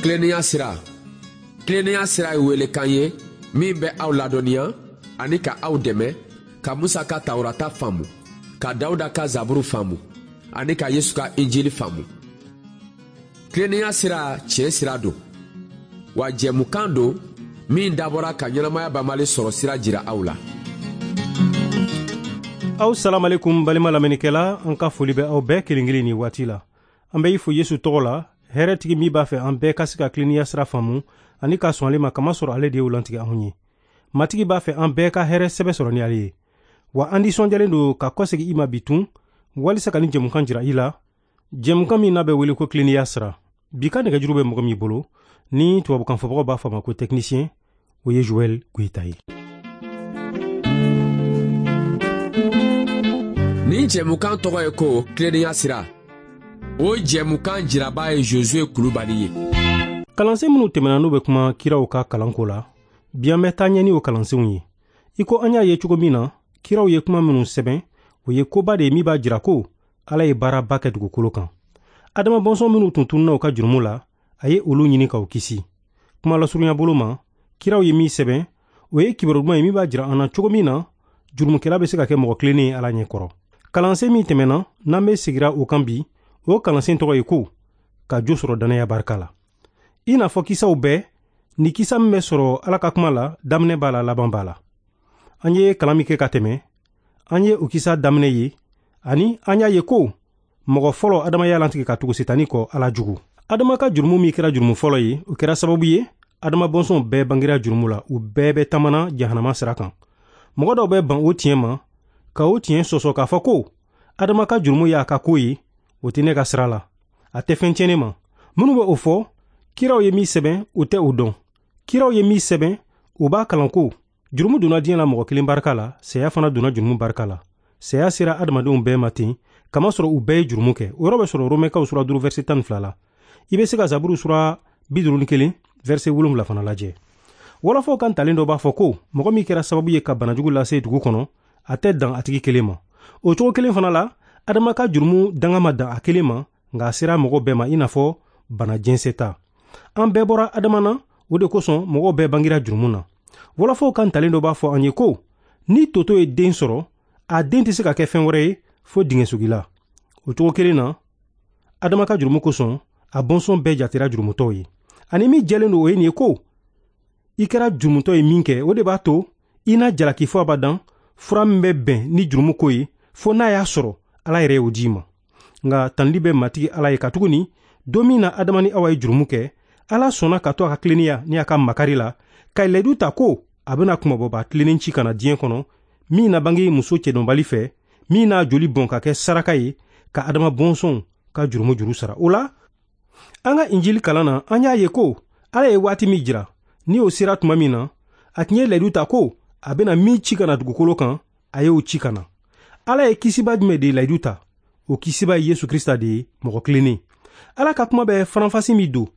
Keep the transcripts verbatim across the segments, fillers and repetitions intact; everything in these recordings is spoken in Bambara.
Tilennenya sira. Tilennenya sira ye welekan ye min bɛ aw ladɔnniya ani ka aw dɛmɛ ka Musa ka Tawurata faamu, ka Dawuda ka Zaburu faamu ani ka Yesu ka Injili faamu. Tilennenya sira tiɲɛ sira don, wa jɛmukan don min dabɔra ka ɲɛnamaya banbali sɔrɔ sira jira aw la. Aw salamalekum balima lamɛnnikɛla, an ka foli bɛ aw bɛɛ kelen kelen ni waati la. An bɛ i fo Yesu tɔgɔ la, hɛrɛtigi min b'a fɛ an bɛɛ ka se ka tilennenya sira faamu ani ka sɔn ale ma, kamasɔrɔ ale de y'o lantigɛ anw ye. Matigi b'a fɛ an bɛɛ ka hɛrɛ sɛbɛ sɔrɔ ni ale ye. Wa an nisɔndiyalen don ka kɔsegin i ma bi tun walisa ka nin jɛmukan jira i la, jɛmukan min n'a bɛ wele ko tilennenya sira. Bi ka nɛgɛjuru bɛ mɔgɔ min bolo ni tubabukan fɔbagaw b'a fɔ a ma ko technicien, o ye Joël Goïta ye. Nin jɛmukan tɔgɔ ye ko tilennenya sira. O jɛmukan jiraba ye Josué Kulubali ye. Kalansen minnu tɛmɛna n'u bɛ kuma kiraw ka kalanko la, bi an bɛ taa ɲɛ ni o kalansenw ye. I ko an y'a ye cogo min na, kiraw ye kuma minnu sɛbɛn, o ye koba de ye min b'a jira ko Ala ye baaraba kɛ dugukolo kan. Adama bɔnsɔn minnu tun tununna u ka jurumu la, a ye olu ɲini k'u kisi. Kuma lasurunya bolo ma, kiraw ye min sɛbɛn, o ye kibaru duman ye min b'a jira an na cogo min na jurumukɛla bɛ se ka kɛ mɔgɔ tilennen ye Ala ɲɛ kɔrɔ. Kalansen min tɛmɛna, n'an bɛ sigira o kan bi, o kalansen tɔgɔ ye ko ka jo sɔrɔ dannaya barika la. I n'a fɔ kisaw bɛɛ, ni kisa min bɛ sɔrɔ Ala ka kuma la, daminɛ b'a la, laban b'a la. An ye kalan min kɛ ka tɛmɛ, an ye o kisa daminɛ ye, ani an y'a ye ko mɔgɔ fɔlɔ Adama y'a lantigɛ ka tugu Setani kɔ Ala jugu. Adama ka jurumu min kɛra jurumu fɔlɔ ye, o kɛra sababu ye Adama bɔnsɔnw bɛɛ bangera jurumu la, u bɛɛ bɛ taamana jahanama sira kan. Mɔgɔ dɔw bɛ ban o tiɲɛ ma, ka o tiɲɛ sɔsɔ k'a fɔ ko Adama ka jurumu y'a ka ko ye, o tɛ ne ka sira la, a tɛ fɛn tiɲɛ ne ma. Minnu bɛ o fɔ, kiraw ye min sɛbɛn, o tɛ o dɔn. Kiraw ye min sɛbɛn, o b'a kalan ko jurumu donna diɲɛ la mɔgɔ kelen barika la, saya fana donna jurumu barika la. Saya sera adamadenw bɛɛ ma ten, kamasɔrɔ u bɛɛ ye jurumu kɛ. O yɔrɔ bɛ sɔrɔ Romɛkaw sura duuru verset tan ni fila la. I bɛ se ka Zaburu sura bi duuru ni kelen verset wolonwula fana lajɛ. Wɔlɔfɔw kan talen dɔ b'a fɔ ko mɔgɔ min kɛra sababu ye ka banajugu lase dugu kɔnɔ, a tɛ dan a tigi kelen ma. O cogo kelen fana la, Adama ka jurumu danga ma dan a kelen ma, nka a sera mɔgɔ bɛɛ ma i n'a fɔ bana jɛnsɛn ta. An bɛɛ bɔra Adama na, o de kosɔn mɔgɔw bɛɛ bangera jurumu na. Wɔlɔfɔw kan talen dɔ b'a fɔ an ye ko ni toto ye den sɔrɔ, a den tɛ se ka kɛ fɛn wɛrɛ ye fo dingɛsogila. O cogo kelen na, Adama ka jurumu kosɔn, a bɔnsɔn bɛɛ jatera jurumutɔw ye. Ani min jɛlen don o ye nin ye ko i kɛra jurumutɔ ye min kɛ, o de b'a to i na jalaki fɔ abadan fura min bɛ bɛn ni jurumu ko ye, fo n'a y'a sɔrɔ Ala yɛrɛ y'o d'i ma. Nka tanuli bɛ Matigi Ala ye, katuguni don min na Adama ni Awa ye jurumu kɛ, Ala sɔnna ka to a ka tilennenya ni a ka makari la, ka layidu ta ko a bɛna kunmabɔba tilennen ci ka na diɲɛ kɔnɔ, min na bange muso cɛdɔnbali fɛ, min n'a joli bɔn ka kɛ saraka ye ka Adama bɔnsɔnw ka jurumu juru sara. O la, an ka Injili kalan na, an y'a ye ko Ala ye waati min jira, ni o sera tuma min na, a tun ye layidu ta ko a bɛna min ci ka na dugukolo kan, a y'o ci ka na. Ala ye kisiba jumɛn de layidu ta? O kisiba ye Yesu Krista de ye, mɔgɔ tilennen. Ala ka kuma bɛ faranfasi min don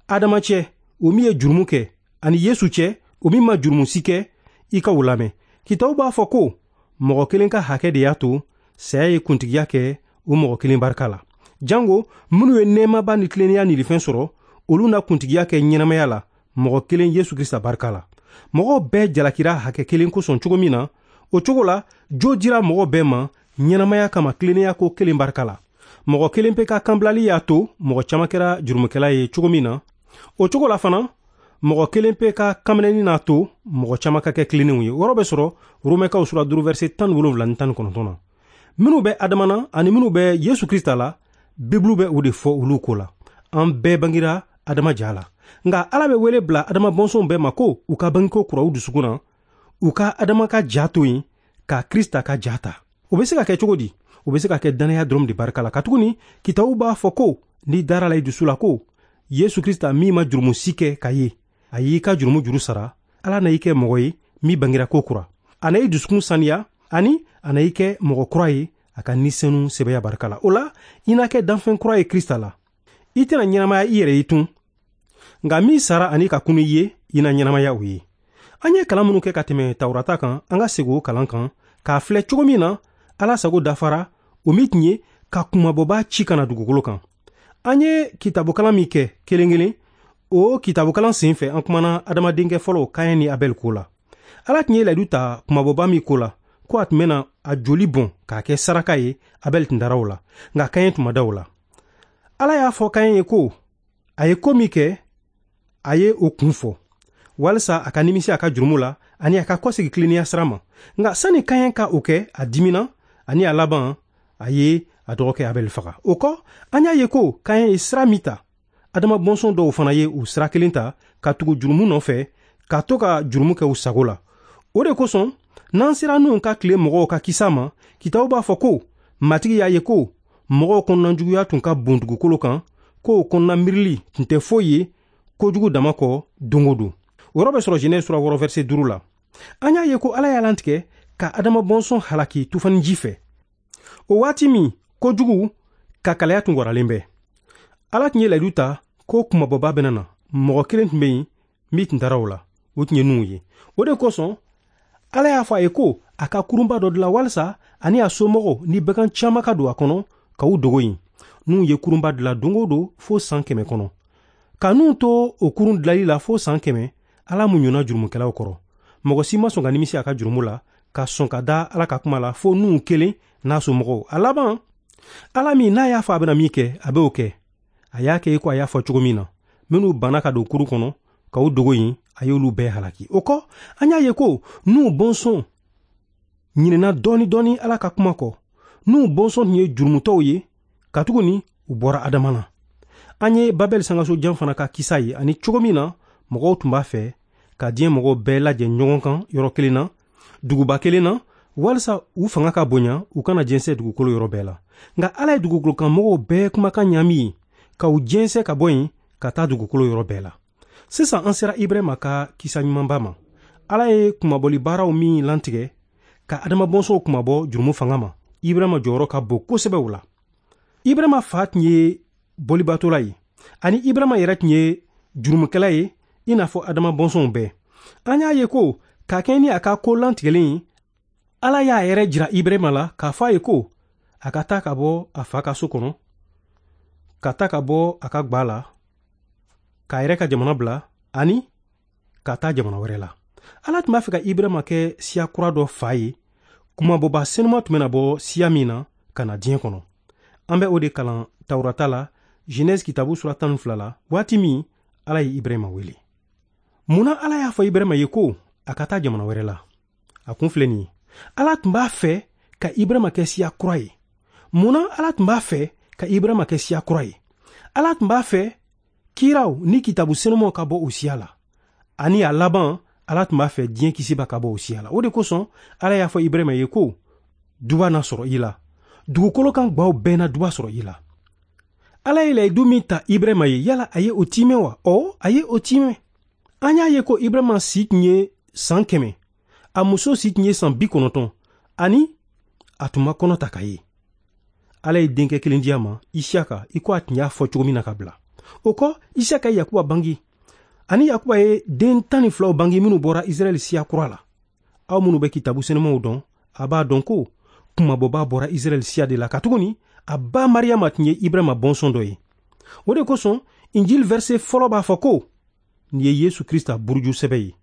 Adama cɛ, o min ye jurumu kɛ, ani Yesu cɛ, o min ma jurumu si kɛ, i ka o lamɛn. Kitabu b'a fɔ ko mɔgɔ kelen ka hakɛ de y'a to saya ye kuntigiya kɛ o mɔgɔ kelen barika la. Jango minnu ye nɛɛmaba ni tilennenya nilifɛn sɔrɔ, olu na kuntigiya kɛ ɲɛnamaya la mɔgɔ kelen Yesu Krista barika la. Mɔgɔw bɛɛ jalakira hakɛ kelen kosɔn cogo min na, o cogo la jo dira mɔgɔ bɛɛ ma ɲɛnamaya kama tilennenya ko kelen barika la. Mɔgɔ kelen pe ka kanbilali y'a to mɔgɔ caman kɛra jurumukɛla ye cogo min na, o cogo la fana mɔgɔ kelen pe ka kanminɛni n'a to mɔgɔ caman ka kɛ tilennenw ye. O yɔrɔ bɛ sɔrɔ Romɛkaw sura duuru verset tan ni wolonwula ni tan ni kɔnɔntɔn na. Minnu bɛ Adama na ani minnu bɛ Yesu Krista la, Bibulu bɛ o de fɔ olu ko la. An bɛɛ bangera Adama ja la. Nka Ala bɛ wele bila Adama bɔnsɔnw bɛɛ ma ko u ka bangeko kura u dusukun na, u ka Adama ka ja to yen ka Krista ka ja ta. O bɛ se ka kɛ cogo di? O bɛ se ka kɛ dannaya dɔrɔn de barika la, katuguni kitabu b'a fɔ ko n'i dara la i dusu la ko Yesu Krista min ma jurumu si kɛ ka ye, a y'i ka jurumu juru sara, Ala na i kɛ mɔgɔ ye min bangera ko kura. A na i dusukun saniya ani a na i kɛ mɔgɔ kura ye a ka ni senu sɛbɛya barika la. O la, i na kɛ danfɛn kura ye Krista la. I tɛna ɲɛnamaya i yɛrɛ ye tun, nka min sara ani ka kunu i ye, i na ɲɛnamaya o ye. An ye kalan minnu kɛ ka tɛmɛ Tawurata kan, an ka segin o kalan kan k'a filɛ cogo min na Ala sago dafara, o min tun ye ka kunmabɔba ci ka na dugukolo kan. An ye kitabukalan min kɛ kelen kelen, O kitabukalan sen fɛ, an kumana adamadenkɛ fɔlɔ Kaɲɛ ni Abɛl ko la. Ala tun ye layidu ta kumabɔba min ko la, ko a tun bɛna a joli bɔn k'a kɛ saraka ye, Abɛl tun dara o la, nka Kaɲɛ tun ma da o la. Ala y'a fɔ Kaɲɛ ye ko a ye ko min kɛ, a ye o kun fɔ walisa a ka nimisi a ka jurumu la ani a ka kɔsegi tilennenya sira ma. Nka sani Kaɲɛ ka o kɛ, a dimina ani a laban a ye a dɔgɔkɛ Abɛl faga. O kɔ, an y'a ye ko Kaɲɛ ye sira min ta, adama bɔnsɔn dɔw fana ye o sira kelen ta ka tugu jurumu nɔfɛ, ka to ka jurumu kɛ u sago la. O de kosɔn, n'an sera Nuhu ka tile mɔgɔw ka kisa ma, kitabu b'a fɔ ko Matigi y'a ye ko mɔgɔw kɔnɔnajuguya tun ka bon dugukolo kan, k'o kɔnɔna miirili tun tɛ foyi ye kojugu dama kɔ don o don. O yɔrɔ bɛ sɔrɔ Genèse sura wɔɔrɔ verset duuru la. An y'a ye ko Ala y'a lantigɛ ka adama bɔnsɔn halaki tufaniji fɛ. O waati min kojugu ka kalaya tun waralen bɛ. Ala tun ye layidu ta ko kumabɔba bɛna na. Mɔgɔ kelen tun bɛ yen min tun taara o la, o tun ye Nuhu ye. O de kosɔn Ala y'a fɔ a ye ko a ka kurunba dɔ dilan walisa ani a somɔgɔw ni bagan caman ka don a kɔnɔ ka u dogo yen. Nuhu ye kurunba dilan don o don fo san kɛmɛ kɔnɔ. Ka Nuhu to o kurun dilali la fo san kɛmɛ, Ala muɲuna jurumukɛlaw kɔrɔ. Mɔgɔ si ma sɔn ka nimisi a ka jurumu la, ka sɔn ka da Ala ka kuma la fo Nuhu kelen n'a somɔgɔw. A laban, Ala min n'a y'a fɔ a bɛna min kɛ, a b'o kɛ. A y'a kɛ i ko a y'a fɔ cogo min na. Minnu banna ka don kurun kɔnɔ ka u dogo yen, a y'olu bɛɛ halaki. O kɔ, an y'a ye ko Nuhu bɔnsɔn ɲinɛna dɔɔni dɔɔni Ala ka kuma kɔ. Nuhu bɔnsɔn tun ye jurumutɔw ye, katuguni u bɔra Adama na. An ye Babɛl sangaso jan fana ka kisa ye, ani cogo min na mɔgɔw tun b'a fɛ ka diɲɛ mɔgɔw bɛɛ lajɛ ɲɔgɔn kan yɔrɔ kelen na, duguba kelen na, walisa u fanga ka bonya, u kana jɛnsɛn dugukolo yɔrɔ bɛɛ la. Nka Ala ye dugukolo kan mɔgɔw bɛɛ kumakan ɲaami yen, ka u jɛnsɛn ka bɔ yen ka taa dugukolo yɔrɔ bɛɛ la. Sisan an sera Ibrahima ka kisa ɲumanba ma. Ala ye kunmabɔli baaraw min lantigɛ ka adama bɔnsɔnw kunmabɔ jurumu fanga ma, Ibrahima jɔyɔrɔ ka bon kosɛbɛ o la. Ibrahima fa tun ye bolibatɔla ye, ani Ibrahima yɛrɛ tun ye jurumukɛla ye i n'a fɔ adama bɔnsɔnw bɛɛ. An y'a ye ko ka kɛɲɛ ni a ka ko lantigɛlen ye, Ala y'a yɛrɛ jira Ibrahima la k'a fɔ a ye ko a ka taa ka bɔ a fa ka so kɔnɔ, ka taa ka bɔ a ka gba la, k'a yɛrɛ ka jamana bila ani ka taa jamana wɛrɛ la. Ala tun b'a fɛ ka Ibrahima kɛ siya kura dɔ fa ye, kumabɔba senuma tun bɛna bɔ siya min na ka na diɲɛ kɔnɔ. An bɛ o de kalan Tawurata la, Genèse kitabu sura tan ni fila la, waati min Ala ye Ibrahima wele. Munna Ala y'a fɔ Ibrahima ye ko a ka taa jamana wɛrɛ la? A kun filɛ nin ye. Ala tun b'a fɛ ka Ibrahima kɛ siya kura ye. Munna Ala tun b'a fɛ ka Ibrahima kɛ siya kura ye? Ala tun b'a fɛ kiraw ni kitabu senumaw ka bɔ o siya la. Ani a laban, Ala tun b'a fɛ diɲɛ kisiba ka bɔ o siya la. O de kosɔn Ala y'a fɔ Ibrahima ye ko duba na sɔrɔ i la, dugukolo kan gbaw bɛɛ na duba sɔrɔ i la. Ala ye layidu min ta Ibrahima ye, yala a ye o timɛ wa? Ɔ, a ye o timɛ. An y'a ye ko Ibrahima si tun ye san kɛmɛ, a muso si tun ye san bi kɔnɔntɔn, ani a tun ma kɔnɔ ta ka ye. Ala ye denkɛ kelen di a ma, Isiyaka, i ko a tun y'a fɔ cogo min na ka bila. O kɔ, Isiyaka ye Yakuba bange, ani Yakuba ye den tan ni filaw bange minnu bɔra Israɛl siya kura la. Aw minnu bɛ kitabu senumaw dɔn, a b'a dɔn ko kumabɔba bɔra Israɛl siya de la, katuguni a ba Mariyama tun ye Ibrahima bɔnsɔn dɔ ye. O de kosɔn Injil verset fɔlɔ b'a fɔ ko nin ye Yesu Krista buruju sɛbɛ ye.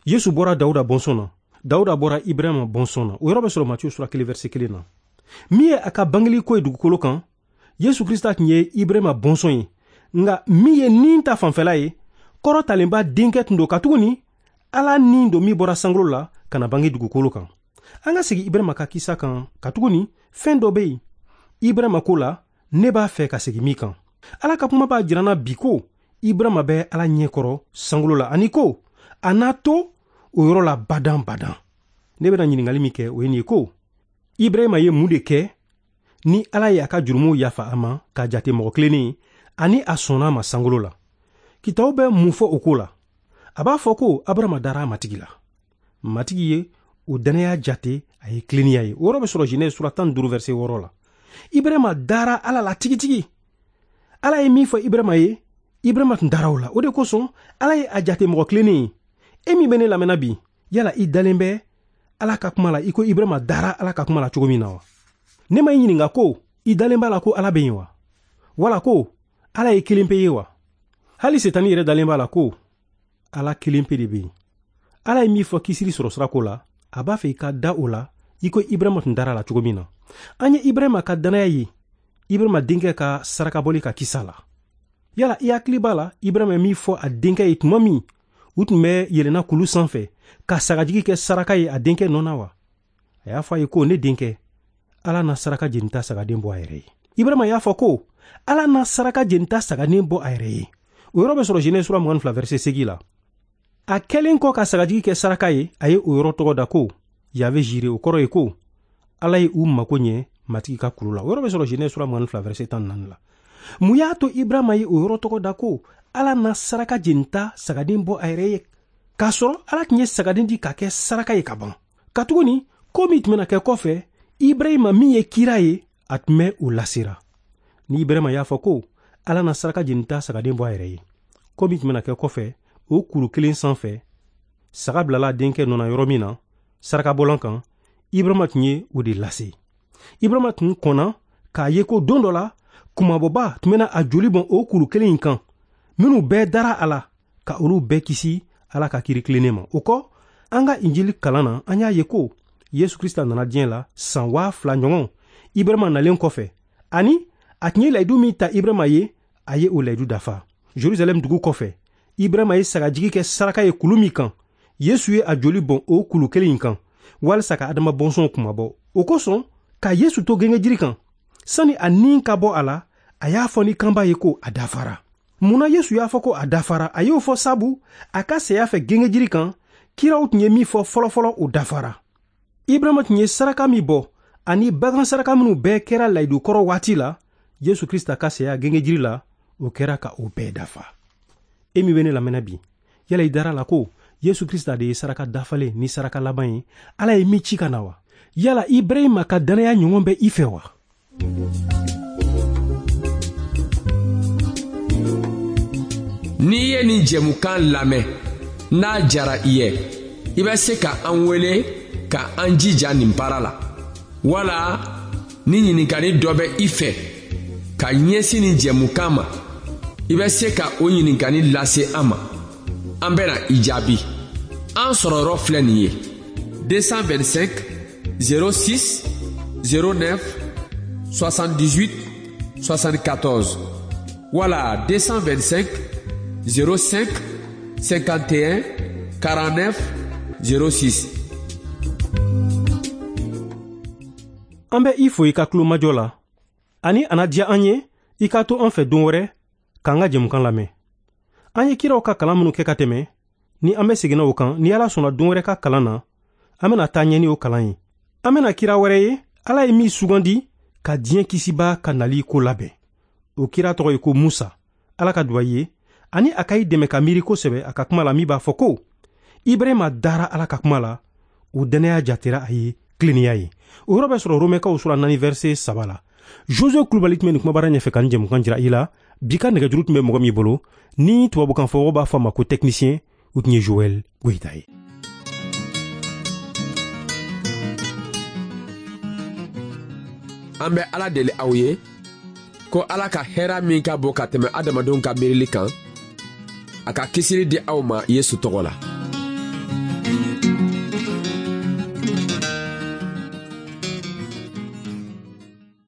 Yesu bɔra Dawuda bɔnsɔn na, Dawuda bɔra Ibrahima bɔnsɔn na. O yɔrɔ bɛ sɔrɔ Matiyu sura kelen verset kelen na. Min ye a ka bangeli ko ye dugukolo kan, Yesu Krista tun ye Ibrahima bɔnsɔn ye. Nka min ye nin ta fanfɛla ye, kɔrɔtalenba denkɛ tun don, katuguni Ala nin don min bɔra sankolo la ka na bange dugukolo kan. An ka segin Ibrahima ka kisa kan, katuguni fɛn dɔ bɛ yen Ibrahima ko la, ne b'a fɛ ka segin min kan. Ala ka kuma b'a jira n na bi ko Ibrahima bɛ Ala ɲɛkɔrɔ sankolo la, ani ko a n'a to o yɔrɔ la badan badan. Ne bɛna ɲininkali min kɛ, o ye nin ye ko Ibrahima ye mun de kɛ ni Ala ye a ka jurumuw yafa a ma k'a jate mɔgɔ tilennen ye, ani a sɔnna a ma sankolo la? Kitabu bɛ mun fɔ o ko la? A b'a fɔ ko Abrahama dara a Matigi la. Matigi ye o dannaya jate a ye tilennenya ye. O yɔrɔ bɛ sɔrɔ Genèse sura tan ni duuru verset wɔɔrɔ la. Ibrahima dara Ala la tigitigi. Ala ye min fɔ Ibrahima ye, Ibrahima tun dara o la. O de kosɔn Ala ye a jate mɔgɔ tilennen ye. E min bɛ ne lamɛnna bi, yala i dalen bɛ Ala ka kuma la i ko Ibrahima dara Ala ka kuma la cogo min na wa? Ne ma i ɲininka ko i dalen b'a la ko Ala bɛ yen wa? Wala ko Ala ye kelen pe ye wa? Hali Setani yɛrɛ dalen b'a la ko Ala kelen pe de bɛ yen. Ala ye min fɔ kisili sɔrɔ sirako la, a b'a fɛ i ka da o la i ko Ibrahima tun dara la cogo min na. An ye Ibrahima ka dannaya ye Ibrahima denkɛ ka sarakabɔli ka kisa la. Yala i hakili b'a la Ibrahima ye min fɔ a denkɛ ye tuma min u tun bɛ yɛlɛnna kulu sanfɛ ka sagajigi kɛ saraka ye a denkɛ nɔ na wa? A y'a fɔ a ye ko ne denkɛ, Ala na saraka jenita sagaden bɔ a yɛrɛ ye. Ibrahima y'a fɔ ko Ala na saraka jenita sagaden bɔ a yɛrɛ ye. O yɔrɔ bɛ sɔrɔ Genèse sura mugan ni fila verset seegin la. A kɛlen kɔ ka sagajigi kɛ saraka ye, a ye o yɔrɔ tɔgɔ da ko Yahweh Jireh, o kɔrɔ ye ko Ala ye u mako ɲɛ Matigi ka kulu la. O yɔrɔ bɛ sɔrɔ Genèse sura mugan ni fila verset tan ni naani la. Mun y'a to Ibrahima ye o yɔrɔ tɔgɔ da ko Ala na saraka jenita sagaden bɔ a yɛrɛ ye, k'a sɔrɔ Ala tun ye sagaden di ka kɛ saraka ye ka ban? Katuguni ko min tun bɛna kɛ kɔfɛ, Ibrahima min ye kira ye, a tun bɛ o lasera. Ni Ibrahima y'a fɔ ko Ala na saraka jenita sagaden bɔ a yɛrɛ ye, ko min tun bɛna kɛ kɔfɛ, o kuru kelen sanfɛ, saga bilala denkɛ nɔ na yɔrɔ min na, sarakabɔlan kan, Ibrahima tun ye o de lase. Ibrahima tun kɔnna k'a ye ko don dɔ la, kunmabɔba tun bɛna a joli bɔn o kuru kelen in kan, minnu bɛɛ dara a la, ka olu bɛɛ kisi Ala ka kiri tilennen ma. O kɔ, an ka Injili kalan na, an y'a ye ko Yesu Krista nana diɲɛ la san waa fila ɲɔgɔn Ibrahima nalen kɔfɛ, ani a tun ye layidu min ta Ibrahima ye, a ye o layidu dafa. Jerusalɛm dugu kɔfɛ, Ibrahima ye sagajigi kɛ saraka ye kulu min kan, Yesu ye a joli bɔn o kulu kelen in kan walisa ka Adama bɔnsɔnw kunmabɔ. O kosɔn, ka Yesu to gengejiri kan, sani a ni ka bɔ a la, a y'a fɔ ni kanba ye ko a dafara. Mun na Yesu y'a fɔ ko a dafara? A y'o fɔ sabu a ka saya fɛ gengejiri kan, kiraw tun ye min fɔ fɔlɔfɔlɔ, o dafara. Ibrahima tun ye saraka min bɔ ani bagan saraka minnu bɛɛ kɛra layidu kɔrɔ waati la, Yesu Krista ka saya gengejiri la, o kɛra ka o bɛɛ dafa. E min bɛ ne lamɛnna bi, yala i dara la ko Yesu Krista de ye saraka dafalen ni saraka laban ye, Ala ye min ci ka na wa? Yala Ibrahima ka dannaya ɲɔgɔn bɛ i fɛ wa? N'i ye nin jɛmukan lamɛn, n'a jara i ye, i bɛ se ka an wele ka an jija nin baara la. Wala ni ɲininkali dɔ bɛ i fɛ ka ɲɛsin nin jɛmukan ma, i bɛ se ka o ɲininkali lase an ma. An bɛna i jaabi. An sɔrɔ yɔrɔ filɛ nin ye: deux cent vingt-cinq zéro six zéro neuf soixante-dix-huit soixante-quatorze wala deux cent vingt-cinq zéro cinq cinquante et un quarante-neuf zéro six. An bɛ i fo i ka tulomajɔ la, ani a na diya an ye i ka to an fɛ don wɛrɛ k'an ka jɛmukan lamɛn. An ye kiraw ka kalan minnu kɛ ka tɛmɛ, ni an bɛ seginna o kan, ni Ala sɔnna don wɛrɛ ka kalan na, an bɛna taa ɲɛ ni o kalan ye. An bɛna kira wɛrɛ ye, Ala ye min sugandi ka diɲɛ kisiba ka nali ko labɛn. O kira tɔgɔ ye ko Musa. Ala ka duwawu ye, ani a ka i dɛmɛ ka miiri kosɛbɛ a ka kuma la min b'a fɔ ko Ibrahima dara Ala ka kuma la, o dannaya jatera a ye tilennenya ye. O yɔrɔ bɛ sɔrɔ Romɛkaw sura naani verset saba la. Josue Kulubali tun bɛ nin kumabara ɲɛfɛ ka nin jɛmukan jira i la. Bi ka nɛgɛjuru tun bɛ mɔgɔ min bolo, ni tubabukan fɔbagaw b'a fɔ a ma ko technicien, o tun ye Joël Goyita ye. An bɛ Ala deli aw ye ko Ala ka hɛrɛ min ka bon ka tɛmɛ adamadenw ka miirili kan, a ka kisili di aw ma Yesu tɔgɔ la.